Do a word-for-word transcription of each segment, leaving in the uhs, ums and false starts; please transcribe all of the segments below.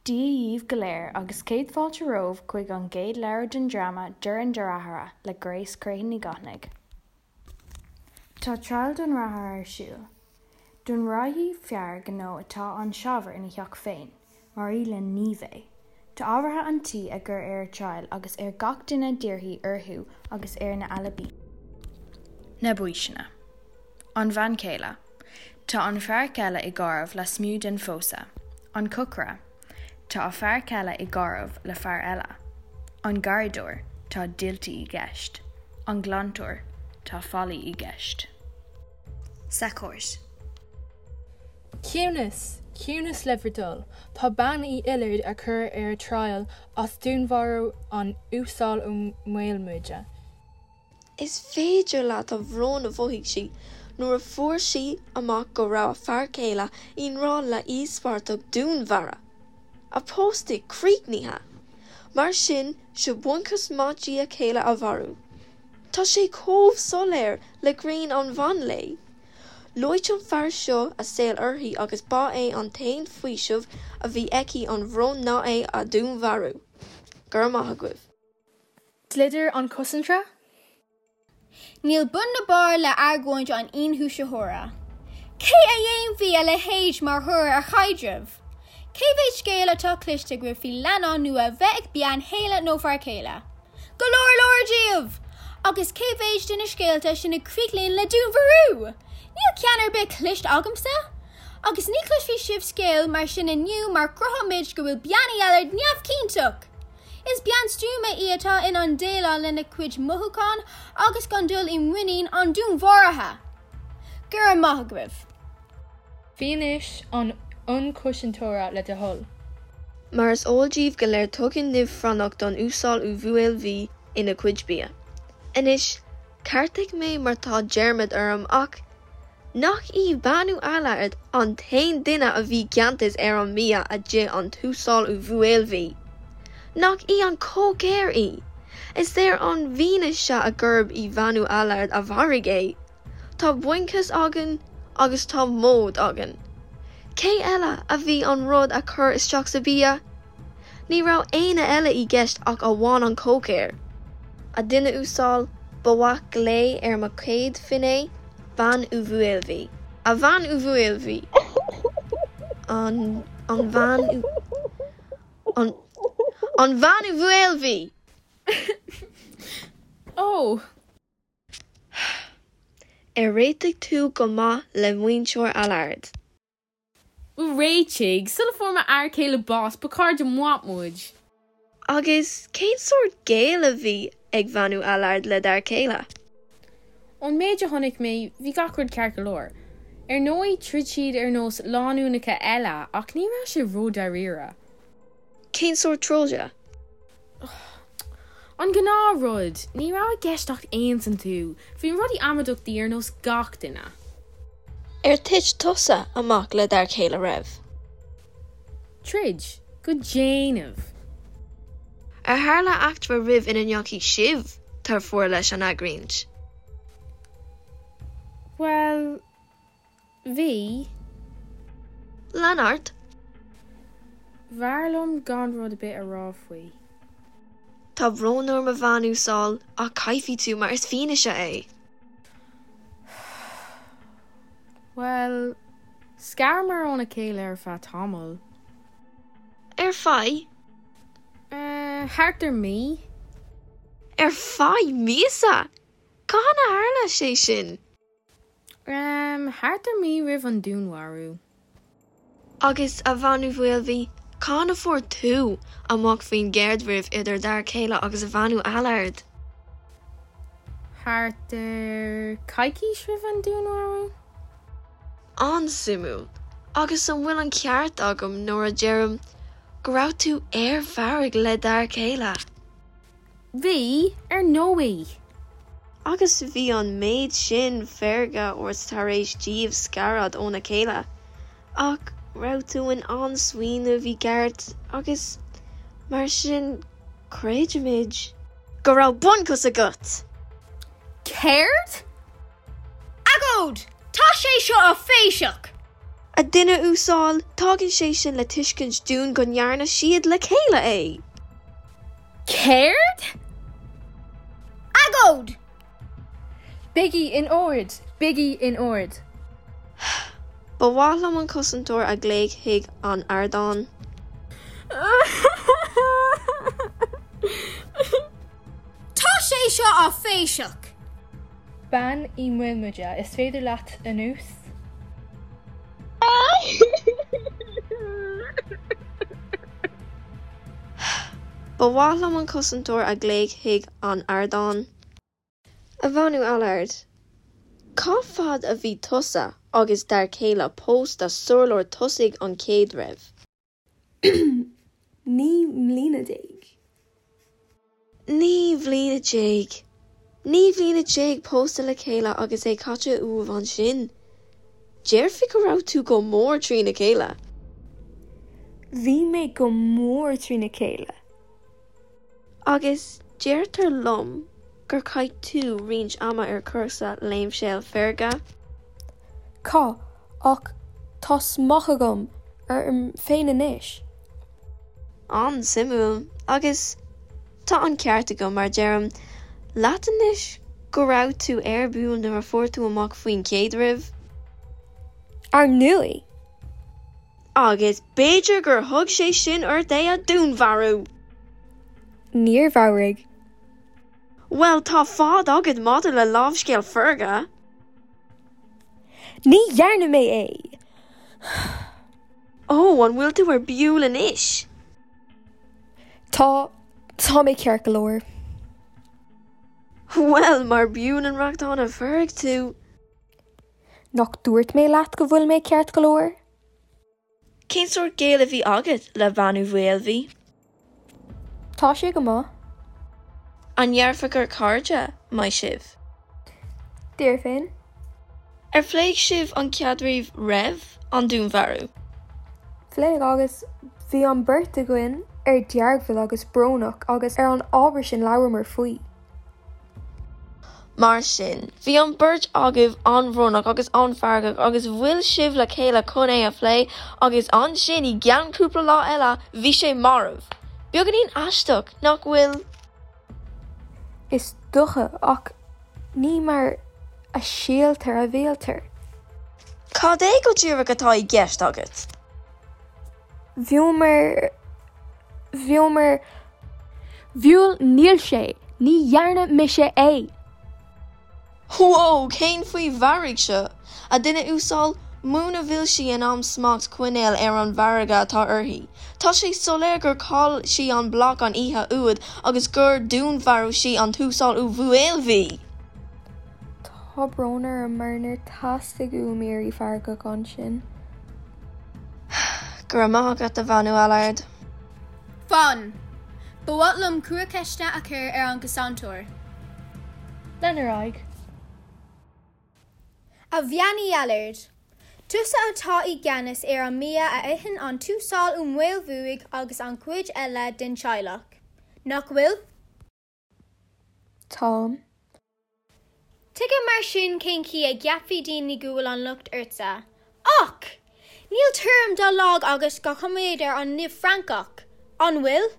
Dia dhaoibh go léir agus céad fáilte romhaibh chuig an gcéad leabhar den dráma Dorn Dearthára le Grace Crehan Ní Ghotnaigh. Tá triail don deartháir ar siúl. Dúnmharaíodh fear gnó atá an-saibhir ina theach féin, mar í le Ní bheith. Tá ábhartha an tí a gcur ar triail agus ar gach duine d'iarrthaí orthu agus ar na alibi. Na baoiseanna. An bhean chéile. Tá an fear céile i gcaidreamh lasmuigh den phósadh. An cócaire. Tá a fear céile i gcaidreamh le fear eile. An garradóir, tá dialltaí i gceist. An glantóir, tá faillí i gceist. Sa chúirt. Ciúnas, ciúnas le bhur dtoil, tá bean Uí Oileard á cur ar triail as dúnmharú an Uasail Ó Maolmuide. Is féidir leat an bhrón a mhothaigh sí nuair a fuair sí amach go raibh a fear céile i ngrá le híospartach dúnmharaithe. A pósadh críochnaithe. Mar sin seo bunchúis maith di a céile a mharú. Tá sé chomh soiléir le grian an mheán lae. Loit an fear seo a saol uirthi agus ba é an t-aon faoiseamh a bhí aici ón bhrón ná é a dhúnmharú. Go raibh maith agaibh. Dlíodóir an chosantóra? Níl bun ná barr le argóint an ionchúisitheora. Cé a dhéanfaidh a leithéid mar thoradh ar chaidreamh? Cé mhéad scéal atá cloiste agaibh faoi leannán nua bheith ag bean chéile nó fear céile? Go leor leor díobh! Agus cé mhéad de na scéalta sin a chríochnaíonn le dúnmharú? Níl ceann ar bith cloiste agamsa? Agus ní chloisfidh sibh scéal mar sin inniu mar cruthóimid go bhfuil bean Uí Allard neamhchiontach! Is bean stuama í atá in ann déileáil lena cuid mothúchán agus gan dul i muinín an dúnmharaithe. Go raibh maith agaibh. Fianaise an ionchúisitheora le do thoil. Mar is eol daoibh go léir tugann nimh phrainnach don Uasal Ó Mhaoilbhí ina chuid bia. Anois, ceartaigh mé má tá dearmad orm ach nach í bean Uí Allard an t-aon duine a bhí ganntas ar an mbia a d'ith an tUasal Ó Mhaoilbhí. Nach í an cócaire í. Is léir ón bhfianaise a gurb í bean Uí Allard a mharaigh é. Tá bunchúis againn agus tá móid againn. Cé eile a bhí an rud a chur isteach sa bia? Ní raibh éinne eile i gceist ach amháin an cócaire. A dhuine uasail, ba mhaith glao ar mo chéad fhinné, bean Uí Mhaoilbhí. A bhean Uí Mhaoilbhí. An an bhean Uí an an bhean Uí Mhaoilbhí! Ó! Ar réitigh tú go maith le muintir Allard. Réitigh, sula fuair m'fhear céile bás ba chairde maith muid. Agus cén sórt gaol a bhí ag bean Uí Allard le d'fhear céile? Ón méid a chonaic mé bhí gach rud ceart go leor. Ar ndóigh throid siad ar nós lánúineacha eile ach ní raibh sé ródháiríre. Cén sórt troda? An gnáthrud, ní raibh i gceist ach easaontú, bhí rudaí amaideachtaí ar nós gach duine. Ar thit tusa amach le d'fhear céile riamh. Troid, go déanamh. Ar tharla eachtra riamh ina ndeachaigh sibh tar fuar leis an argóint. Well, bhí Lean ort? B'fhearr liom gan rud ar bith a rá faoi. Tá brón orm a bhean uasal ach caithfidh tú mar is fianaise é. Well, scaramar óna chéile ar feadh tamaill. Ar feadh? Uh, thart ar mí? Ar feadh míosa? Cathain a tharla sé sin? Um, thart ar mí roimh an dúnmharú. Agus a bhean Uí Mhaoilbhí, cathain a fuair tú amach faoin gcaidreamh idir d'fhear céile agus a bhean Uí Allard? Thart ar coicís roimh an dúnmharú? An-suimiúil, agus an bhfuil an ceart agam nuair a deirim go raibh tú ar fearg le d'fhear céile. Bhí ar ndóigh. Agus bhí an méid sin feirge ort tar éis daoibh scaradh óna chéile, ach raibh tú in ann smaoineamh i gceart agus mar sin creidimid go raibh bunchúis agat. Céard? Agóid! Tá sé seo áiféiseach! A duine uasail, tagann sé sin le tuiscint dúinn go ndearna siad le chéile é. Céard? Agóid! Bígí in ord, bígí in ord. Ba mhaith liom an cosantóir a ghlaoch chuig an ardán. Tá sé seo áiféiseach! Bean Uí Mhaolmhuire, is féidir leat anuas? Ba mhaith liom an cosantóir a ghlaoch chuig an ardán. A Bhean Uí Allard, cá fad a bhí tusa agus d'fhear céile pósta sular tosaigh an caidreamh? Naoi mbliana déag. Naoi mbliana déag. Naoi mbliana déag pósta le chéile agus é caite uaibh ansin. Déarfainn go raibh tú go mór trína chéile. Bhí mé go mór trína chéile. Agus deirtear liom gur chaith tú roinnt ama ar chúrsa láimhseála feirge. Chaith, ach tá smacht agam orm féin anois. An-suimiúil, agus tá an ceart agam mar deirim leat anois go raibh tú ar buile nuair a fuair tú amach faoin gcaidreamh. Ar ndóigh! Agus b'fhéidir gur thug sé sin ort é a dúnmharú. Níor mharaigh. Bhuel, tá fadhb agat maidir le láimhseáil feirge. Ní dhearna mé é! Ó, an bhfuil tú ar buile anois? Tá, tá mé ceart go leor. Bhuel, mar b'fhiú an rachtáin a fearg tú. Nach dúirt mé leat go bhfuil mé ceart go leor? Cén sórt gaol a bhí agat le Bean Uí Mhaolmhaidh? Tá sé go maith. An ndéarfá gur cairde maith sibh? Déarfainn. Ar phléigh sibh an caidreamh roimh an dúnmharú? Phléigh agus bhí an bheirt againn ar deargbhuile agus brónach agus ar an ábhar sin labhramar faoi. Mar sin, bhí an bheirt agaibh an-bhrónach agus an-fheargach agus bhuail sibh le chéile chun é a phlé agus ansin i gceann cúpla lá eile bhí sé marbh. Beagáinín aisteach nach bhfuil? Is dócha ach ní mar a síltear a bhítear. Cad é go díreach atá i gceist agat? Bhíomar bhíomar Bhuel níl sé, ní dhearna mise é. Whoa, cén faoi mharaigh seo? A duine uasail, muna bhfuil sí in ann smacht a choinneáil ar an bhfearg atá uirthi. Tá sé soiléir gur chaill sí an bloc an oíche úd agus gur dúnmharú sí an tUasal Ó Mhaolmhaidh. Tá brón orm mar níor theastaigh uaim éirí feargach ansin. Go raibh maith agat a Bhean Uí Allard. Fan! Ba mhaith liom cúig ceisteanna a chur ar an gcosantóir. Lean ar aghaidh. A Bhean Uí Allard, tusa atá i gceannas ar an mbia a itheann an tUasal Ó Maolmhuaidh agus an chuid eile den teaghlach. Nach bhfuil? Táim. Tuigim mar sin cén chaoi a gceapfaidh daoine go bhfuil an locht ortsa. Ach! Níl tuairim dá laghad agat cá gcoimeádtar an nimh Fhrancach, an bhfuil?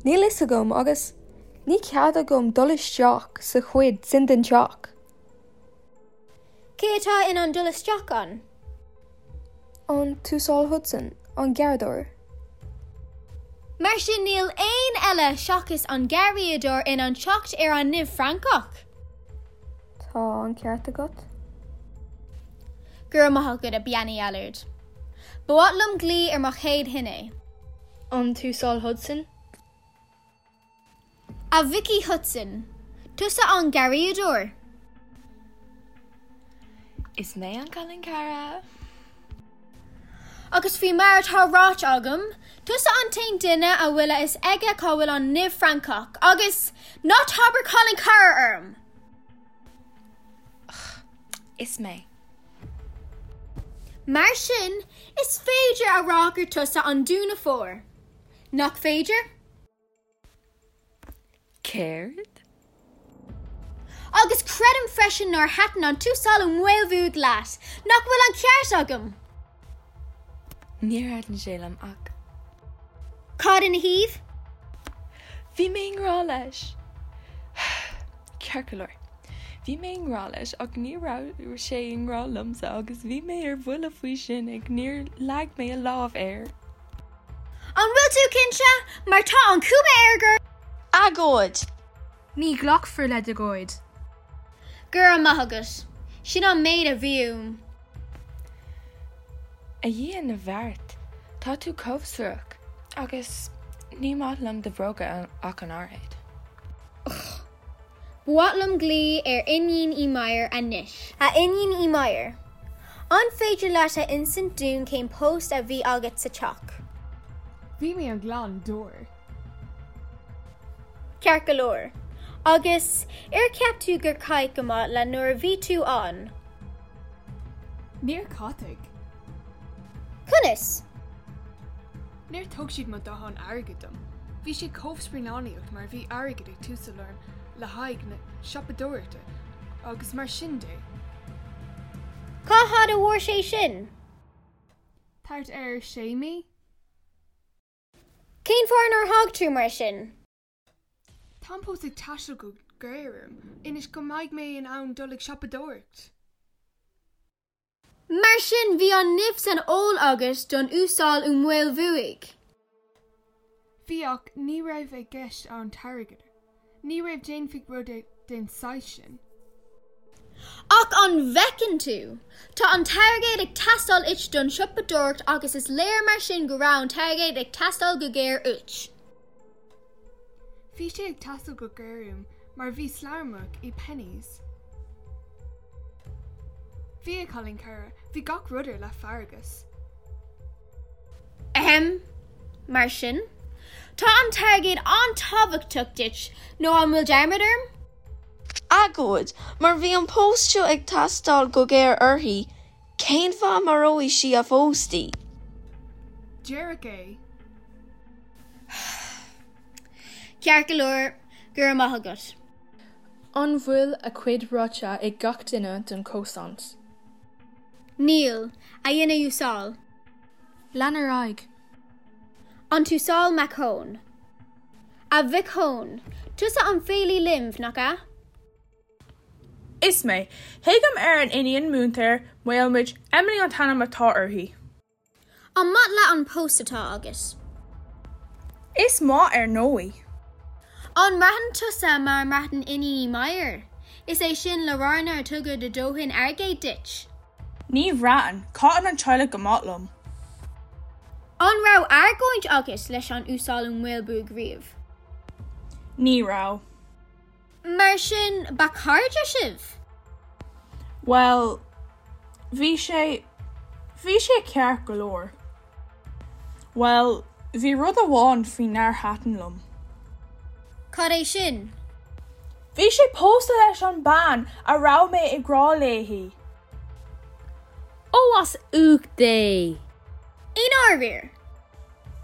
Níl fhios agam agus ní cead agam dul isteach sa chuid sin den teach. Cé atá in ann dul isteach ann? An tUasal Hudson, an garradóir. Mar sin níl éinne eile seachas an garraíodóir in ann teacht ar an nimh Fhrancach. Tá an ceart agat? Go raibh maith agat a Bhean Uí Allard. Ba mhaith liom glaoch ar mo chéad fhinné. An tUasal Hudson? A Mhic Uí Hudson, tusa an garraíodóir. Is mé an cailín cara. Agus faoi mar atá ráite agam, tusa an t-aon duine a bhfuil a fhios aige cá bhfuil an nimh Fhrancach, agus ná habair cailín cara orm! Is mé. Mar sin, is féidir a rá gur tusa an dúnmharfóir. Nach féidir? Céard? Agus creidim freisin nár thaitin an tUasal Ó Maolmhuaidh leat, nach bhfuil an ceart agam. Níor thaitin sé liom ach. Cad ina thaobh? Bhí mé i ngrá leis. Ceart go leor. Bhí mé i ngrá leis ach ní raibh sé i ngrá liomsa agus bhí mé ar buile faoi sin ach níor leag mé a lámh air. An bhfuil tú cinnte mar tá an chuma air gur Agóid! Ní ghlacfar le d'agóid. Go raibh maith agat. Sin an méid a bhí uaim. A Dhia na bhfeart, tá tú chomh suarach agus ní maith liom do bhróga ach an oiread. Ba mhaith liom glao ar Iníon Uí Mheidhir anois. A Iníon Uí Mheidhir. An féidir leat a insint dúinn cén post a bhí agat sa teach? Bhí mé an glanadóir. Ceart go leor. Agus ar cheap tú gur caitheadh go maith leat nuair a bhí tú ann. Níor caitheadh. Conas? Níor thug siad mo dhóthain airgid dom. Bhí sé chomh spearánaíocht mar bhí airgead ag teastáil uaim le haghaidh na siopadóireachta agus mar sin de. Cá fhad a mhair sé sin? Thart ar sé mí? Cén fáth nár thug tú mar sin? Tá post ag teastáil go géar uaim, ionas go mbeidh mé in ann dul ag siopadóireacht. Mar sin bhí an nimh san fheoil agat don Uasal Ó Maolmhuaidh. Bhí ach ní raibh i gceist an t-airgead. Ní raibh déanfaidh rud den saghas sin. Ach an bhfeiceann tú, Tá an t-airgead ag teastáil uait don siopadóireacht agus is léir mar sin go raibh an t-airgead ag teastáil go géar uait. Bhí sé ag teastáil go géar uaim mar bhí sladmhargadh i Penneys. Bhí a chailín cara, bhí gach rud ar leathphraghas. Ahem, mar sin, Tá an t-airgead an-tábhachtach duit nó an bhfuil dearmad orm? Agóid, mar bhí an post seo ag teastáil go géar uirthi, cén fáth maróidh sí a phóstaí? Díreach é. Ceart go leor go raibh maith agat. An bhfuil a cuid ráite ag gach duine den chosaint? Níl a dhuine uasail. Lean ar aghaidh. An tUasal Mac Eoin. A Mhic Eoin, tusa an féilí linbh nach ea? Is mé, Thuigim ar an iníon múinteoir Maolmuid Emily an t-ainm atá uirthi. An maith leat an post atá agat. Is maith ar ndóigh. An mbraitheann tusa mar a mbraitheann Iníon Uí Mheidhir, Is é sin le rá nár tugadh do dhóthain airgid duit. Ní bhraitheann, caitheann an teaghlach go maith liom. An raibh argóint agat leis an Uasal Ó Maolmhuaidh riamh. Ní raibh. Mar sin ba chairde sibh? Well, bhí sé bhí sé ceart go leor. Well, bhí rud amháin faoi nár thaitin liom. Cad é sin? Bhí sé pósta leis an bean a raibh mé i ngrá léi. Ó as ucht Dé. I ndáiríre.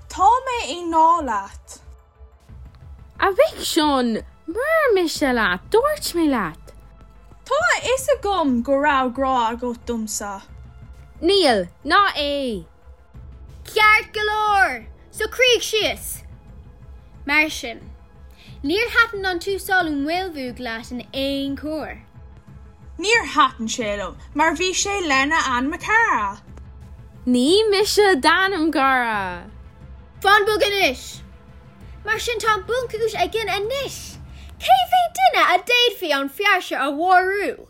Tá mé i ngrá leat. A mhic Seáin, mar mise leat, dúirt mé leat. Tá a fhios agam go raibh grá agat domsa. Níl, ná é. Ceart go leor, socraígí síos. Mar sin, níor thaitin an tUasal Ó Maolmhuaidh leat in aon chor. Níor thaitin sé liom, mar bhí sé lena anam cara. Ní mise d'anam cara. Fan bog anois. Mar sin tá bunchúis againn anois. Cé mhéad duine a d'fhéadfaí an fear seo a mharú?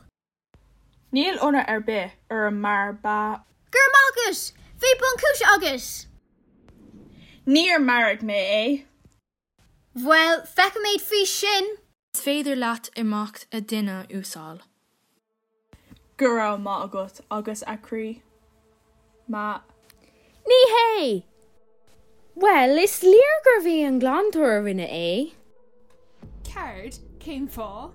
Níl ionadh ar bith orm mar ba Gur magus, bhí bunchúis agat. Níor mharaigh mé é. Bhuel, feicfimid faoi sin. Is féidir leat imeacht a dhuine uasail. Go raibh maith agat agus a chroí. Ma Ní hé! Well, is léir gurbh é an glantóir a rinne é. Céard cén fáth?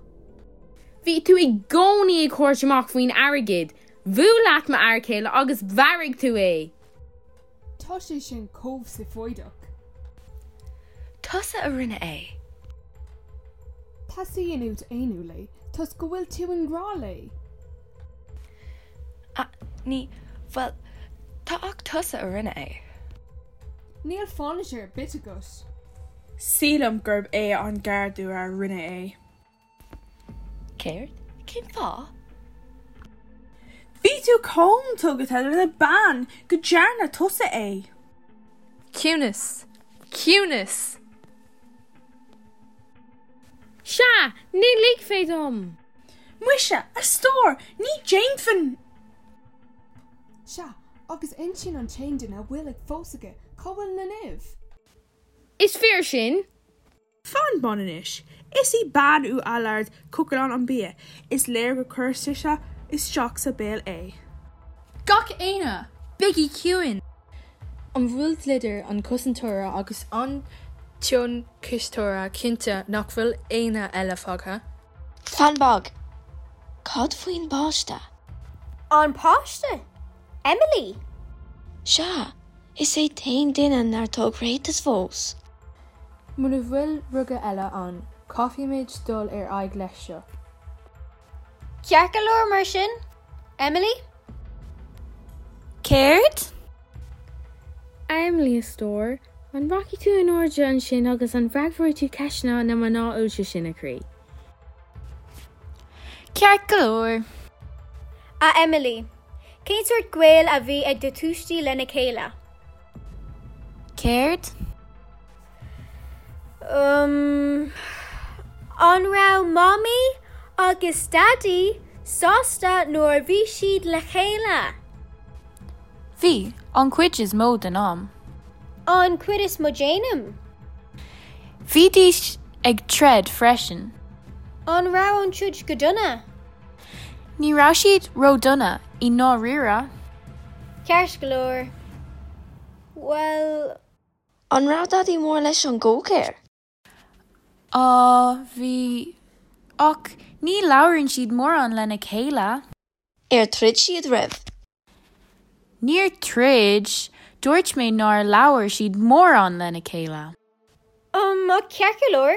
Bhí tú i gcónaí ag tabhairt amach faoin airgead, Bhuail leat m'fhear céile agus mharaigh tú é. Tá sé sin chomh seafóideach. Tusa a rinne é. Teastaíonn uait aontú léi, toisc go bhfuil tú i ngrá léi. Ah, ní, bhuel, tá ach tusa a rinne é. Níl fianaise ar bith agat. Sílim gurb é an garda a rinne é. Céard? Cén fáth? Bhí tú chomh tugtha lena bean go ndearna tusa é. Ciúnas! Ciúnas! Sea, ní ligfidh dom! Muise, a stór, ní déanfainn! Sea, agus ansin an t-aon duine a bhfuil ag pósadh aige, cá bhfuil na nimh? Is fíor sin? Fan bon anois. Is í bean Uí Allard cócaráil an bia, is léir gur chuir sise isteach sa béal é. Gach éinne, bígí ciúin! An bhfuil dlíodóir an chosantóra agus an t-ionchúisitheoir cinnte nach bhfuil éinne eile fágtha? Fan beag. Cad faoin bpáiste? An páiste? Emily? Sea, is é t-aon duine nár thug ráiteas fós. Muna bhfuil rogha eile ann, caithfimid dul ar aghaidh leis seo. Ceart go leor mar sin? Emily? Céard? Emily a stór, an rachaidh tú in airde ansin agus an bhfreagróidh tú ceisteanna na mná oilte sin a chroí. Ceart go leor. A Emily, cén sórt gaol a bhí ag do thuistí lena chéile? Céard? Um, an raibh Mamaí agus Daidí sásta nuair a bhí siad le chéile? Bhí an chuid is mó den am. An chuid is mó den am? Bhídís ag troid freisin. An raibh an troid go dona? Ní raibh siad ródhona i ndáiríre. Ceart go leor. Well, An raibh Daidí mór leis an gcócaire? Á bhí ach ní labhrann siad mórán lena chéile. Ar throid siad riamh. Níor troid, dúirt mé nár labhair siad mórán lena chéile. um, ceart go leor,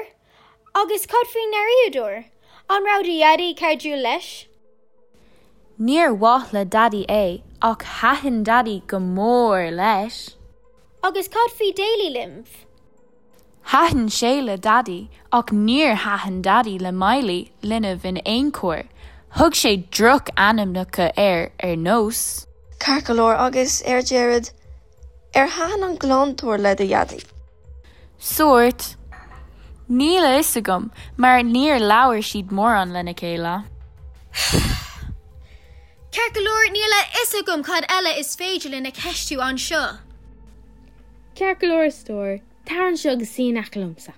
agus cad faoin ndeartháir, an raibh do Dhaidí cairdiúil leis? Níor mhaith le Daidí é ach thaitin Daidí go mór leis. Agus cad faoi Daly linbh? Thaitin sé le Daidí ach níor thaitin Daidí le Miley linbh in aon chor. Thug sé drochainmneacha air ar nós. Ceart go leor agus ar deireadh ar thaitin an glantóir le do Dhaidí. Sórt Níl a fhios agam mar níor labhair siad mórán lena chéile. Ceart go leor níl a fhios agam cad eile is féidir linn a cheistiú anseo. Ceart go leor a stór, tar anseo agus suigh in aice liomsa.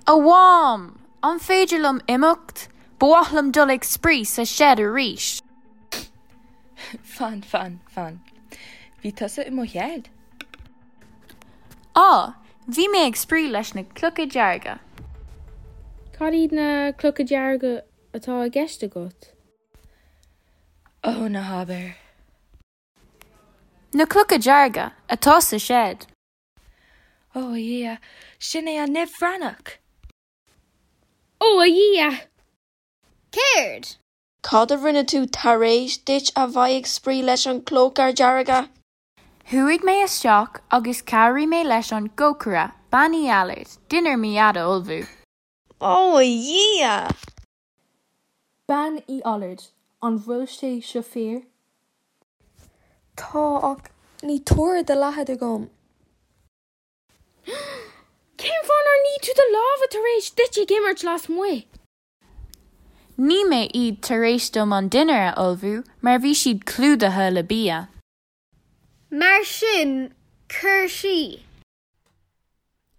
A Mham, an féidir liom imeacht, Ba mhaith liom dul ag spraoi sa seid arís. Fan fan fan. Bhí tusa i mo sheid. Á, bhí mé ag spraoi leis na clocha dearga. Cad iad na clocha dearga atá i gceist agat? Ó ná habair. Na clocha dearga atá sa seid. Ó a Dhia, sin é an nimh bhraonach. Ó a Dhia! Céard? Cad a rinne tú tar éis duit a bheith ag spraoi leis an clocha dearga? Chuaigh mé isteach agus chabhraigh mé leis an gcócaire Bean Uí Allard, dinnéar mo Dhaid a ullmhú. Ó a Dhia! Bean Uí Allard, an bhfuil sé seo fíor? Tá ach ní tuar de leathad agam. Cén fáth nár nigh tú do lámha tar éis duit ag imirt lasmuigh? Nigh mé iad tar éis dom an dinnéar a ullmhú mar bhí siad clúdaithe le bia. Mar sin chuir sí.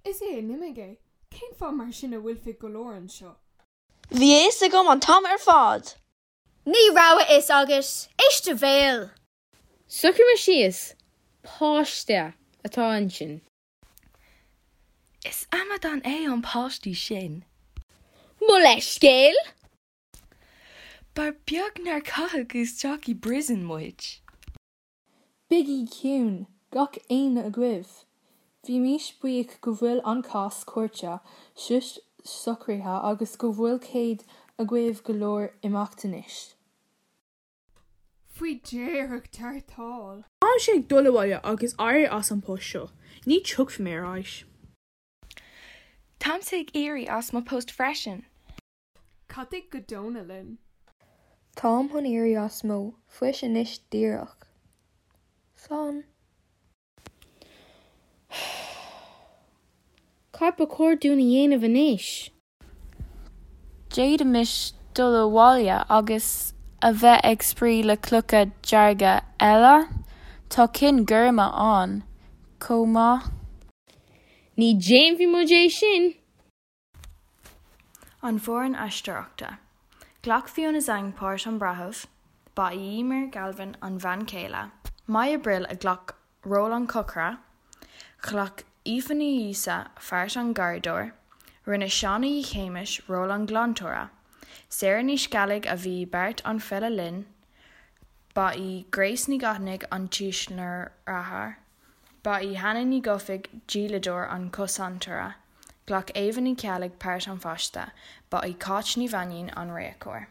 Is é an imigh é, cén fáth mar sin a bhfuil go leor anseo. Bhí a fhios agam an t-am ar fad. Ní raibh a fhios agat éist do bhéal. Socraigh síos, páiste atá ansin. Is amadán é an páiste sin. Mo leithscéal? Ba bheag nár caitheadh isteach i bpríosún muid. Bígí ciúin, gach éinne agaibh. Bhí mé buíoch go bhfuil an cás cúirte seo socraithe agus go bhfuil cead agaibh go léir imeacht anois. Faoi dheireadh tarrtháil. Táimse ag dul abhaile agus éirí as an post seo, ní thiocfaidh mé ar ais. Táimse ag éirí as mo post freisin. Caithfidh go dona linn. Táim chun éirí as mo phost anois díreach. Slán. Cad ba chóir dúinn a dhéanamh anois? D'fhéadfaimis dul abhaile agus a bheith ag spraoi le clocha dearga eile? Tá cinn gorma ann chomh maith. Ní dhéanfaidh muid é sin! An foireann aisteoireachta. Ghlac Fiona Zhang páirt an bhreithimh, ba í Eimear Galvin an bhean chéile, Maja Brill a ghlac ról an chócaire, ghlac Aoife Ní Íosa páirt an gharradóir, rinne Seán Uí Shéamais ról an ghlantóra, Sarah Ní Sceallaigh a bhí i bpáirt an file linbh, ba í Grace Ní Ghaihtnigh an tuismitheoir, ba í Hannah Ní Dhufaigh díoladóir an chosantóra, ghlac Ava Ní Cheallaigh páirt an pháiste, ba í Cáit Ní Mhainín an réiceoir.